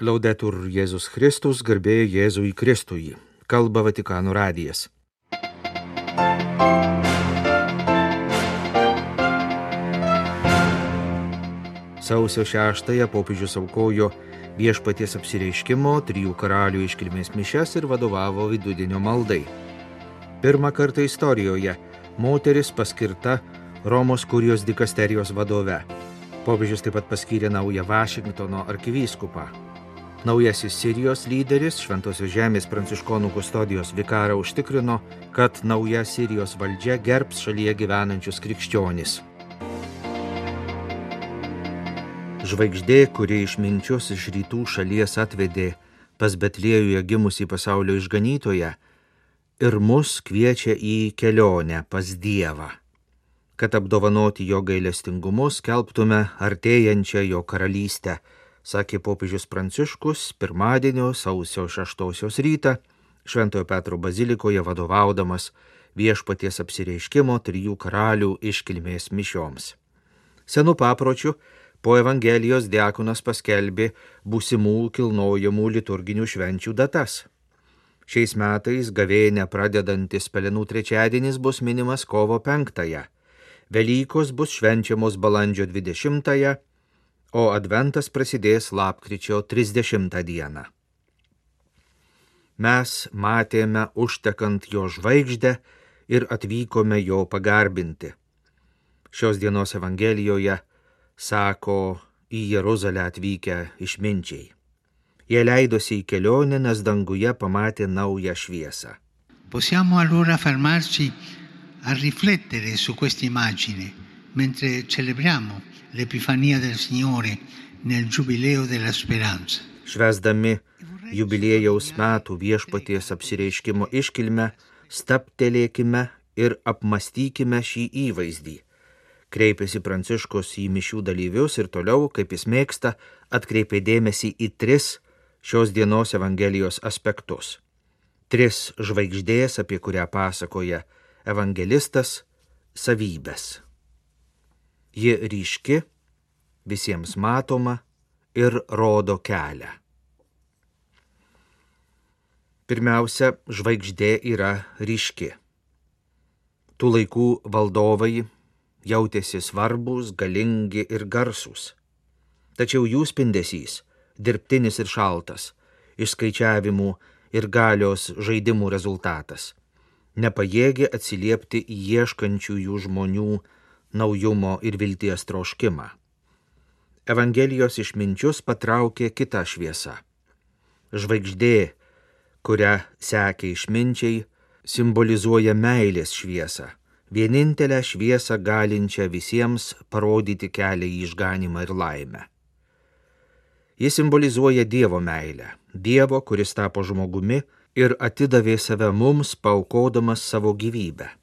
Laudetur Jėzus Kristus, garbė Jėzui Kristui. Kalba Vatikano radijas. Sausio 6-ąją popiežius aukojo Viešpaties apsireiškimo, 3 karalių iškilmės mišias ir vadovavo vidudienio maldai. Pirmą kartą istorijoje moteris paskirta Romos kurijos dikasterijos vadove. Popiežius taip pat paskyrė naują Vašingtono arkivyskupą. Naujasis Sirijos lyderis, Šventosios žemės pranciškonų kustodijos vikarą užtikrino, kad nauja Sirijos valdžia gerbs šalyje gyvenančius krikščionis. Žvaigždė, kuri išminčius iš rytų šalies atvedė pas Betliejuje gimusį pasaulio išganytoją, ir mus kviečia į kelionę pas Dievą, kad apdovanoti jo gailestingumu skelbtume artėjančią jo karalystę, sakė popiežius Pranciškus pirmadienio sausio 6 rytą Šventojo Petro bazilikoje vadovaudamas Viešpaties apsireiškimo 3 karalių iškilmės mišioms. Senu papročiu po Evangelijos diakonas paskelbė būsimų kilnojamų liturginių švenčių datas. Šiais metais gavėnią pradedantis Pelenų trečiadienis bus minimas kovo 5-ąją, Velykos bus švenčiamos balandžio 20-ąją, o adventas prasidės lapkričio 30 dieną. Mes matėme užtekant jo žvaigždę ir atvykome jo pagarbinti. Šios dienos Evangelijoje sako į Jeruzalę atvykę išminčiai. Jie leidosi į kelionę, nes danguje pamatė naują šviesą. Possiamo allora fermarci a riflettere su questa immagine mentre celebriamo l'Epifania del Signore nel Giubileo della Speranza. Švęsdami jubiliejaus metų Viešpaties apsireiškimo iškilmę, stabtelėkime ir apmastykime šį įvaizdį. Kreipėsi Pranciškus į mišių dalyvius ir toliau, kaip jis mėgsta, atkreipė dėmesį į 3 šios dienos Evangelijos aspektus. 3 žvaigždės, apie kurią pasakoja evangelistas, savybės. Ji ryški, visiems matoma ir rodo kelią. Pirmiausia, žvaigždė yra ryški. Tų laikų valdovai jautėsi svarbus, galingi ir garsūs. Tačiau jų spindesys, dirbtinis ir šaltas, išskaičiavimų ir galios žaidimų rezultatas, nepajėgė atsiliepti į ieškančiųjų žmonių naujumo ir vilties troškimą. Evangelijos išminčius patraukė kitą šviesą. Žvaigždė, kurią sekė išminčiai, simbolizuoja meilės šviesą, vienintelę šviesą galinčią visiems parodyti kelią į išganymą ir laimę. Ji simbolizuoja Dievo meilę, Dievo, kuris tapo žmogumi ir atidavė save mums, paaukodamas savo gyvybę.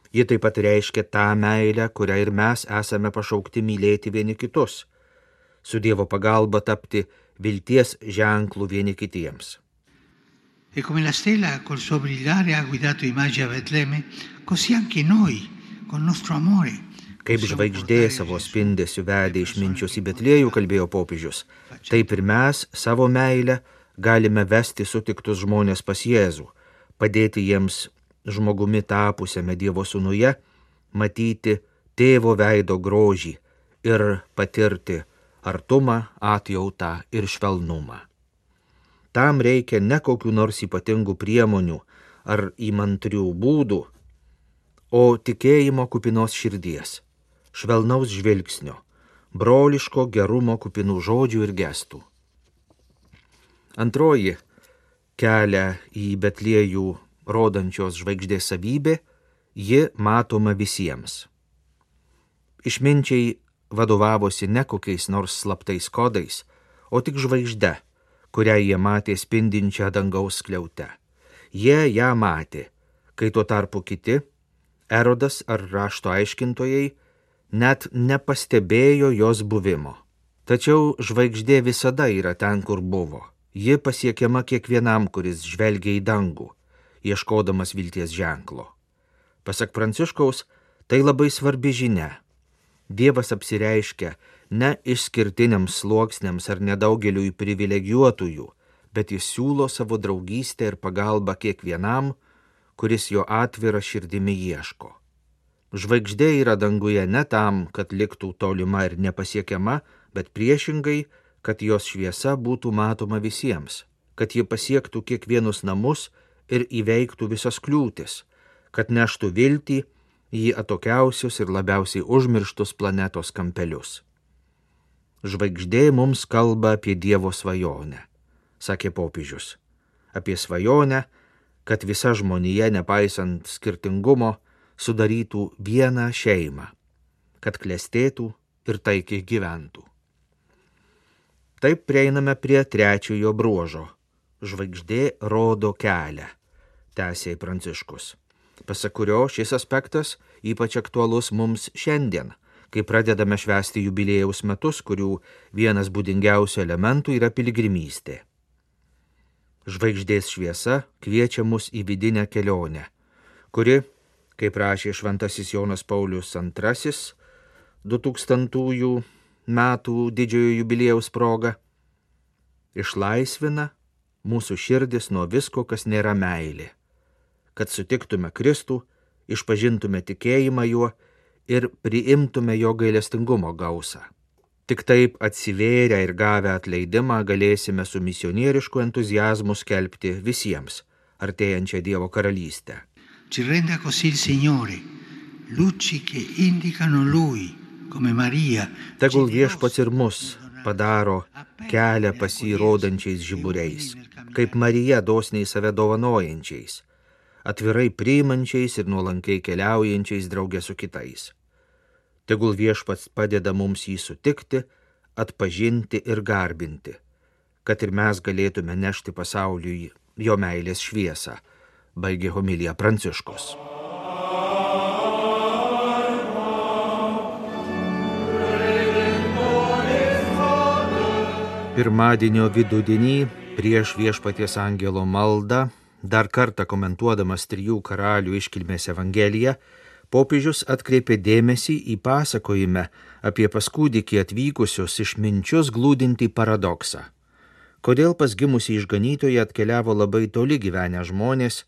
Ji taip pat reiškia tą meilę, kurią ir mes esame pašaukti mylėti vieni kitus, su Dievo pagalba tapti vilties ženklų vieni kitiems. E come la stella col suo brillare ha guidato i magi a Betlemme, così anche noi, col nostro amore. Kaip žvaigždė savo spindesiu vedė išminčius į Betliejų, kalbėjo popiežius, taip ir mes savo meilę galime vesti sutiktus žmonės pas Jėzų, padėti jiems žmogumi tapusiame Dievo sūnuje, matyti tėvo veido grožį ir patirti artumą, atjautą ir švelnumą. Tam reikia ne kokių nors ypatingų priemonių ar įmantrių būdų, o tikėjimo kupinos širdies, švelnaus žvilgsnio, broliško gerumo kupinų žodžių ir gestų. Antroji kelią į Betliejų rodančios žvaigždės savybė, ji matoma visiems. Išminčiai vadovavosi ne kokiais nors slaptais kodais, o tik žvaigžde, kurią jie matė spindinčią dangaus skliaute. Jie ją matė, kai tuo tarpu kiti, Erodas ar rašto aiškintojai, net nepastebėjo jos buvimo. Tačiau žvaigždė visada yra ten, kur buvo. Ji pasiekiama kiekvienam, kuris žvelgia į dangų, ieškodamas vilties ženklo. Pasak Pranciškaus, tai labai svarbi žinia. Dievas apsireiškia ne išskirtiniams sluoksniams ar nedaugeliui privilegijuotųjų, bet jis siūlo savo draugystę ir pagalbą kiekvienam, kuris jo atvira širdimi ieško. Žvaigždė yra danguje ne tam, kad liktų tolima ir nepasiekiama, bet priešingai, kad jos šviesa būtų matoma visiems, kad ji pasiektų kiekvienus namus ir įveiktų visas kliūtis, kad neštų viltį į atokiausius ir labiausiai užmirštus planetos kampelius. Žvaigždė mums kalba apie Dievo svajonę, sakė popiežius, apie svajonę, kad visa žmonija, nepaisant skirtingumo, sudarytų vieną šeimą, kad klestėtų ir taikiai gyventų. Taip prieiname prie trečiojo bruožo. Žvaigždė rodo kelią, tęsė Pranciškus, pasak kurio šis aspektas ypač aktualus mums šiandien, kai pradedame švęsti jubiliejaus metus, kurių vienas būdingiausių elementų yra piligrimystė. Žvaigždės šviesa kviečia mus į vidinę kelionę, kuri, kaip rašė šventasis Jonas Paulius II 2000 metų didžiojo jubiliejaus proga, išlaisvina mūsų širdis nuo visko, kas nėra meilė, kad sutiktume Kristų, išpažintume tikėjimą juo ir priimtume jo gailestingumo gausą. Tik taip atsivėrę ir gavę atleidimą galėsime su misionierišku entuziazmu skelbti visiems artėjančią Dievo karalystę. Ci renda così il Signore, luci che indicano Lui, come Marija. Tegul Viešpats ir mus padaro kelią pasirodančiais žiburiais, kaip Marija dosniai save dovanojančiais, atvirai priimančiais ir nuolankiai keliaujančiais draugė su kitais. Tegul Viešpats padeda mums jį sutikti, atpažinti ir garbinti, kad ir mes galėtume nešti pasauliui jo meilės šviesą, baigė homiliją Pranciškus. Pirmadienio vidudienį prieš Viešpaties angelo maldą, dar kartą komentuodamas trijų karalių iškilmės evangeliją, popiežius atkreipė dėmesį į pasakojime apie pas kūdikį atvykusius išminčius glūdintį paradoksą. Kodėl pas gimusį išganytoją atkeliavo labai toli gyvenę žmonės,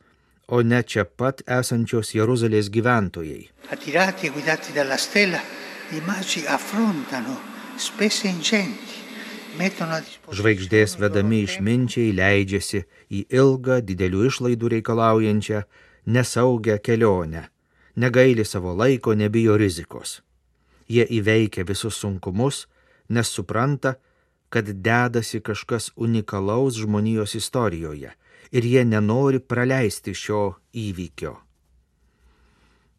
o ne čia pat esančios Jeruzalės gyventojai. Attirati e guidati dalla stella, i magi affrontano spesse ingenti. Žvaigždės vedami išminčiai leidžiasi į ilgą, didelių išlaidų reikalaujančią, nesaugią kelionę, negaili savo laiko, nebijo rizikos. Jie įveikia visus sunkumus, nes supranta, kad dedasi kažkas unikalaus žmonijos istorijoje ir jie nenori praleisti šio įvykio.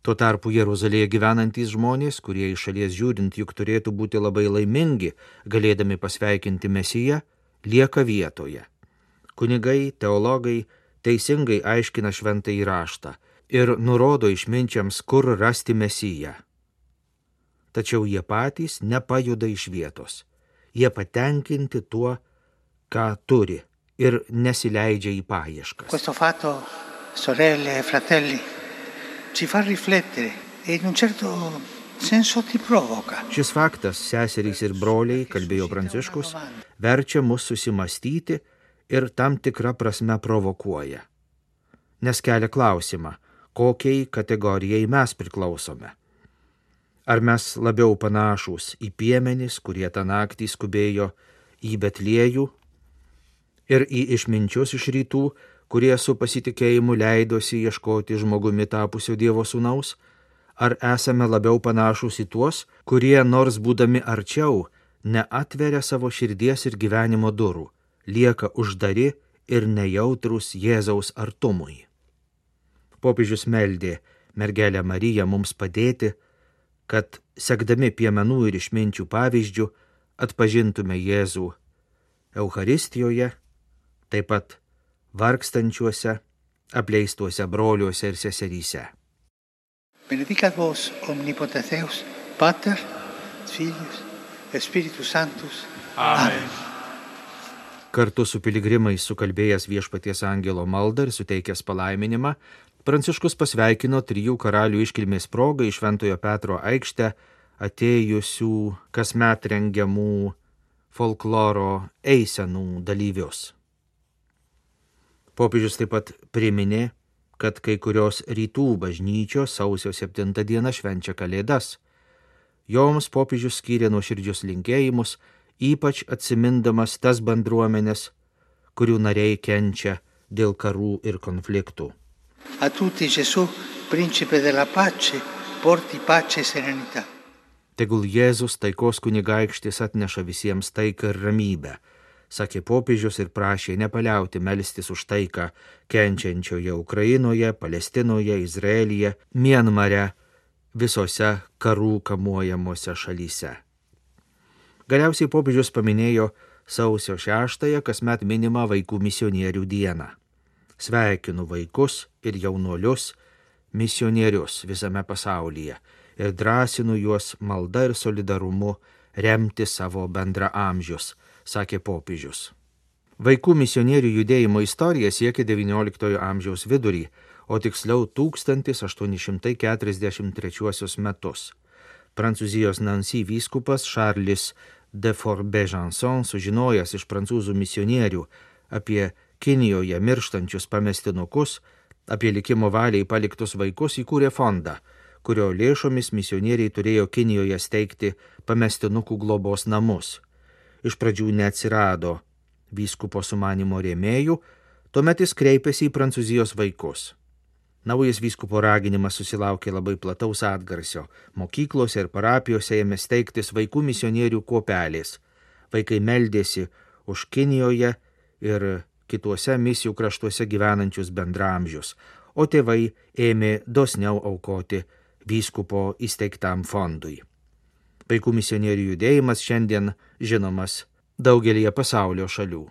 Tuo tarpu Jeruzalėje gyvenantys žmonės, kurie iš šalies žiūrint juk turėtų būti labai laimingi, galėdami pasveikinti Mesiją, lieka vietoje. Kunigai, teologai teisingai aiškina šventąjį raštą ir nurodo išminčiams, kur rasti Mesiją. Tačiau jie patys nepajuda iš vietos. Jie patenkinti tuo, ką turi ir nesileidžia į paieškas. Questo fatto, sorelle e fratelli, ci fa riflettere e in un certo senso ti provoca. Šis faktas, seserys ir broliai, kalbėjo Pranciškus, verčia mus susimastyti ir tam tikrą prasme provokuoja. Nes kelia klausimą, kokiai kategorijai mes priklausome. Ar mes labiau panašūs į piemenis, kurie tą naktį skubėjo į Betliejų, ir į išminčius iš rytų, kurie su pasitikėjimu leidosi ieškoti žmogumi tapusio Dievo sūnaus, ar esame labiau panašūs į tuos, kurie nors būdami arčiau, neatveria savo širdies ir gyvenimo durų, lieka uždari ir nejautrus Jėzaus artumui. Popiežius meldė mergelę Mariją mums padėti, kad sekdami piemenų ir išminčių pavyzdžių atpažintume Jėzų Eucharistijoje, taip pat vargstančiuose, apleistuose broliuose ir seseryse. Benedicat vos omnipotens Deus, Pater, Filius et Spiritus Sanctus. Amen. Kartu su piligrimais sukalbėjęs Viešpaties angelo maldą ir suteikęs palaiminimą, Pranciškus pasveikino trijų karalių iškilmės progą į Šventojo Petro aikštę atėjusių kasmet rengiamų folkloro eisenų dalyvius. Popiežius taip pat priminė, kad kai kurios rytų bažnyčios sausio 7 dieną švenčia Kalėdas. Joms popiežius skyrė nuoširdžius linkėjimus, ypač atsimindamas tas bendruomenės, kurių nariai kenčia dėl karų ir konfliktų. A tutti Gesù, principe della pace, porti pace e serenità. Tegul Jėzus taikos kunigaikštis atneša visiems taiką ir ramybę, sakė popiežius ir prašė nepaliauti melstis už taiką kenčiančioje Ukrainoje, Palestinoje, Izraelyje, Mianmare, visose karų kamuojamuose šalyse. Galiausiai popiežius paminėjo sausio 6-ąją kasmet minimą vaikų misionierių dieną. Sveikinu vaikus ir jaunuolius misionierius visame pasaulyje ir drąsinu juos malda ir solidarumu remti savo bendraamžius, sakė popiežius. Vaikų misionierių judėjimo istorija siekia XIX amžiaus vidurį, o tiksliau 1843 metus. Prancūzijos Nancy vyskupas Charles de Fort-Besançon, sužinojęs iš prancūzų misionierių apie Kinijoje mirštančius pamestinukus, apie likimo valiai paliktus vaikus, įkūrė fondą, kurio lėšomis misionieriai turėjo Kinijoje steigti pamestinukų globos namus. Iš pradžių neatsirado vyskupo sumanymo rėmėjų, tuomet jis kreipėsi į Prancūzijos vaikus. Naujas vyskupo raginimas susilaukė labai plataus atgarsio. Mokyklose ir parapijose ėmė steigtis vaikų misionierių kuopelės. Vaikai meldėsi už Kinijoje ir kituose misijų kraštuose gyvenančius bendraamžius, o tėvai ėmė dosniau aukoti vyskupo įsteigtam fondui. Vaikų misionierių judėjimas šiandien žinomas daugelyje pasaulio šalių.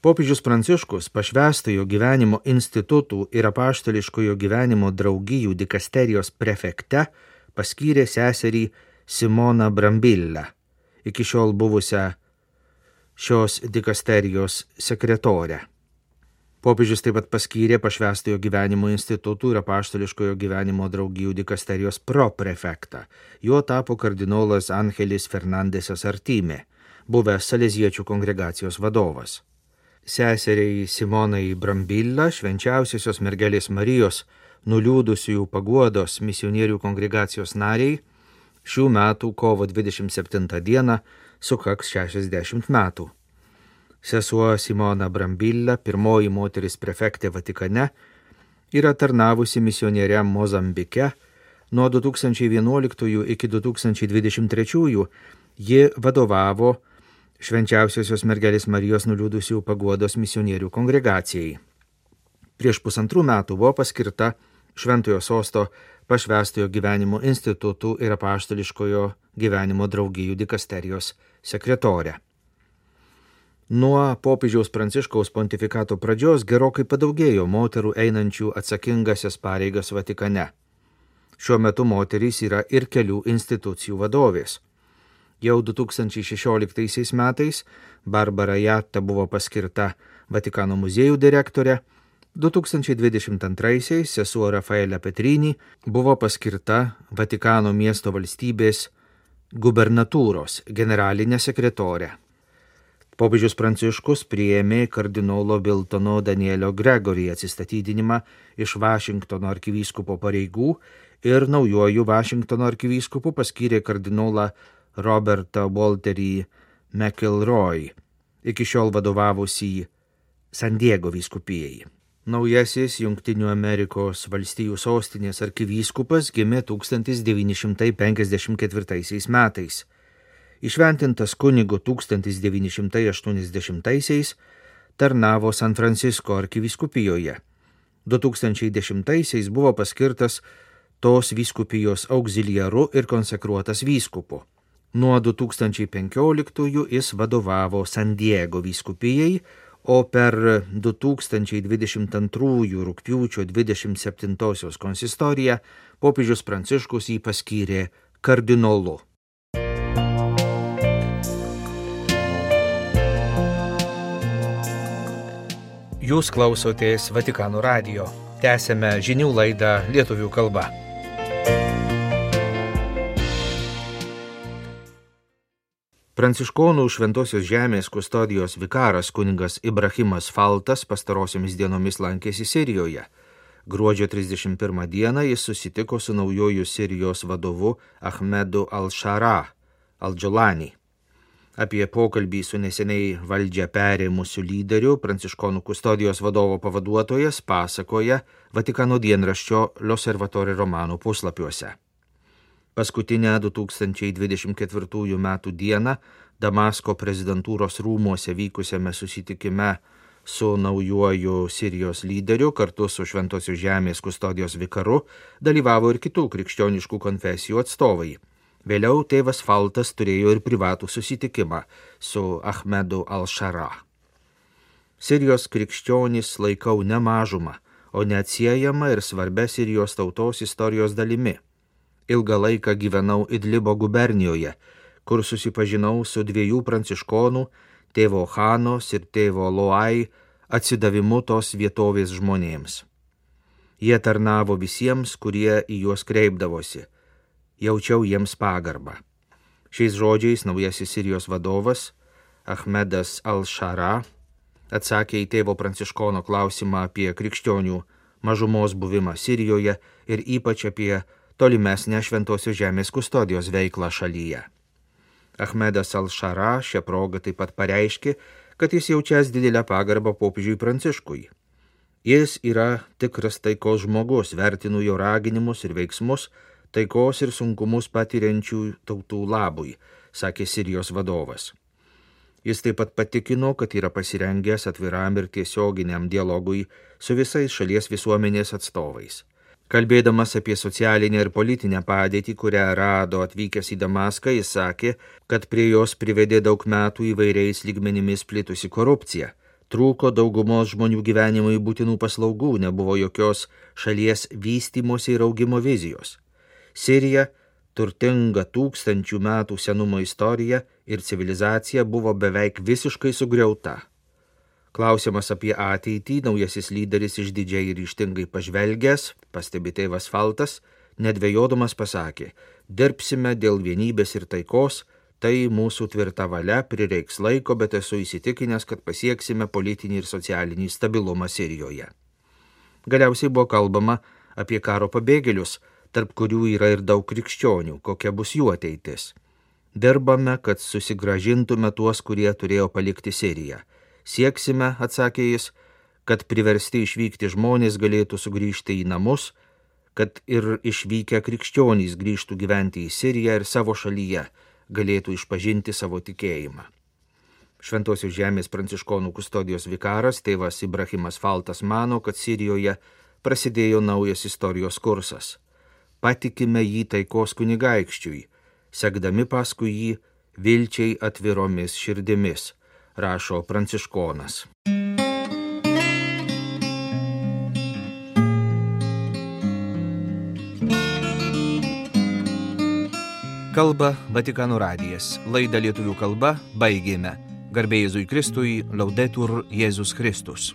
Popiežius Pranciškus pašvęstojo gyvenimo institutų ir apaštališkojo gyvenimo draugijų dikasterijos prefekte paskyrė seserį Simoną Brambillą, iki šiol buvusią šios dikasterijos sekretorę. Popiežius taip pat paskyrė pašvęstojo gyvenimo institutų ir apaštališkojo gyvenimo draugijų dikasterijos proprefektą. Juo tapo kardinolas Angelis Fernandesas Artime, buvęs Saleziečių kongregacijos vadovas. Seseriai Simonai Brambilla, švenčiausiosios mergelės Marijos, nuliūdusiųjų paguodos misionierių kongregacijos nariai, šių metų kovo 27 dieną sukaks 60 metų. Sesuo Simona Brambilla, pirmoji moteris prefektė Vatikane, yra tarnavusi misionieriam Mozambike. Nuo 2011 iki 2023 ji vadovavo Švenčiausiosios mergelės Marijos nuliūdusiųjų paguodos misionierių kongregacijai. Prieš 1,5 metų buvo paskirta Šventojo sosto pašvęstojo gyvenimo institutų ir apaštališkojo gyvenimo draugijų dikasterijos sekretorė. Nuo popiežiaus Pranciškaus pontifikato pradžios gerokai padaugėjo moterų einančių atsakingasias pareigas Vatikane. Šiuo metu moterys yra ir kelių institucijų vadovės. Jau 2016 metais Barbara Jatta buvo paskirta Vatikano muziejų direktorė, 2022 sesuo Rafaelė Petrini buvo paskirta Vatikano miesto valstybės gubernatūros generalinė sekretorė. Popiežius Pranciškus priėmė kardinolo Viltono Danielio Gregory atsistatydinimą iš Vašingtono arkivyskupo pareigų ir naujuoju Vašingtono arkivyskupu paskyrė kardinolą Robertą Walterį McElroy, iki šiol vadovavusį San Diego vyskupijai. Naujasis Jungtinių Amerikos valstijų sostinės arkivyskupas gimė 1954 metais. Išventintas kunigu 1980-aisiais, tarnavo San Francisko arkivyskupijoje. 2010-aisiais buvo paskirtas tos vyskupijos auxiliaru ir konsekruotas vyskupu. Nuo 2015 jis vadovavo San Diego vyskupijai, o per 2022 rugpjūčio 27 konsistoriją popiežius Pranciškus jį paskyrė kardinolu. Jūs klausotės Vatikano radijo. Tęsėme žinių laidą lietuvių kalba. Pranciškonų Šventosios žemės kustodijos vikaras kunigas Ibrahimas Faltas pastarosiomis dienomis lankėsi Sirijoje. Gruodžio 31 dieną jis susitiko su naujoju Sirijos vadovu Ahmedu al-Shara al-Džolani. Apie pokalbį su neseniai valdžią perėmusiu lyderiu Pranciškonų kustodijos vadovo pavaduotojas pasakoja Vatikano dienraščio L'Osservatore Romano puslapiuose. Paskutinę 2024 metų dieną Damasko prezidentūros rūmuose vykusiame susitikime su naujuoju Sirijos lyderiu kartu su Šventosios žemės kustodijos vikaru dalyvavo ir kitų krikščioniškų konfesijų atstovai. Vėliau tėvas Faltas turėjo ir privatų susitikimą su Ahmedu al-Shara. Sirijos krikščionys laikau ne mažumą, o neatsiejama ir svarbia Sirijos tautos istorijos dalimi. Ilgą laiką gyvenau Idlibo gubernijoje, kur susipažinau su dviejų pranciškonų, tėvo Hanos ir tėvo Loai, atsidavimu tos vietovės žmonėms. Jie tarnavo visiems, kurie į juos kreipdavosi. Jaučiau jiems pagarbą. Šiais žodžiais naujasis Sirijos vadovas, Ahmedas al-Shara, atsakė į tėvo pranciškono klausimą apie krikščionių mažumos buvimą Sirijoje ir ypač apie tolimesnę Šventosios žemės kustodijos veiklą šalyje. Ahmedas al-Shara šią progą taip pat pareiškė, kad jis jaučias didelę pagarbą popiežiui Pranciškui. Jis yra tikras taikos žmogus, vertinu jo raginimus ir veiksmus, taikos ir sunkumus patiriančių tautų labui, sakė Sirijos vadovas. Jis taip pat patikino, kad yra pasirengęs atviram ir tiesioginiam dialogui su visais šalies visuomenės atstovais. Kalbėdamas apie socialinę ir politinę padėtį, kurią rado atvykęs į Damaską, jis sakė, kad prie jos privedė daug metų įvairiais lygmenimis plitusi korupcija. Trūko daugumos žmonių gyvenimui būtinų paslaugų, nebuvo jokios šalies vystymosi ir augimo vizijos. Sirija, turtinga 1000 metų senumo istorija ir civilizacija buvo beveik visiškai sugriauta. Klausimas apie ateitį naujasis lyderis išdidžiai ir ryžtingai pažvelgęs, pastebi tėvas Faltas, nedvejodamas pasakė, dirbsime dėl vienybės ir taikos, tai mūsų tvirta valia, prireiks laiko, bet esu įsitikinęs, kad pasieksime politinį ir socialinį stabilumą Sirijoje. Galiausiai buvo kalbama apie karo pabėgėlius, tarp kurių yra ir daug krikščionių, kokia bus jų ateitis. Dirbame, kad susigrąžintume tuos, kurie turėjo palikti Siriją. Sieksime, atsakė jis, kad priversti išvykti žmonės galėtų sugrįžti į namus, kad ir išvykę krikščionys grįžtų gyventi į Siriją ir savo šalyje galėtų išpažinti savo tikėjimą. Šventosios žemės pranciškonų kustodijos vikaras tėvas Ibrahimas Faltas mano, kad Sirijoje prasidėjo naujas istorijos kursas. Patikime jį taikos kunigaikščiui, sekdami paskui jį vilčiai atviromis širdimis, rašo pranciškonas. Kalba Vatikano radijas. Laidą lietuvių kalba baigėme. Garbė Jėzui Kristui, Laudetur Jėzus Kristus.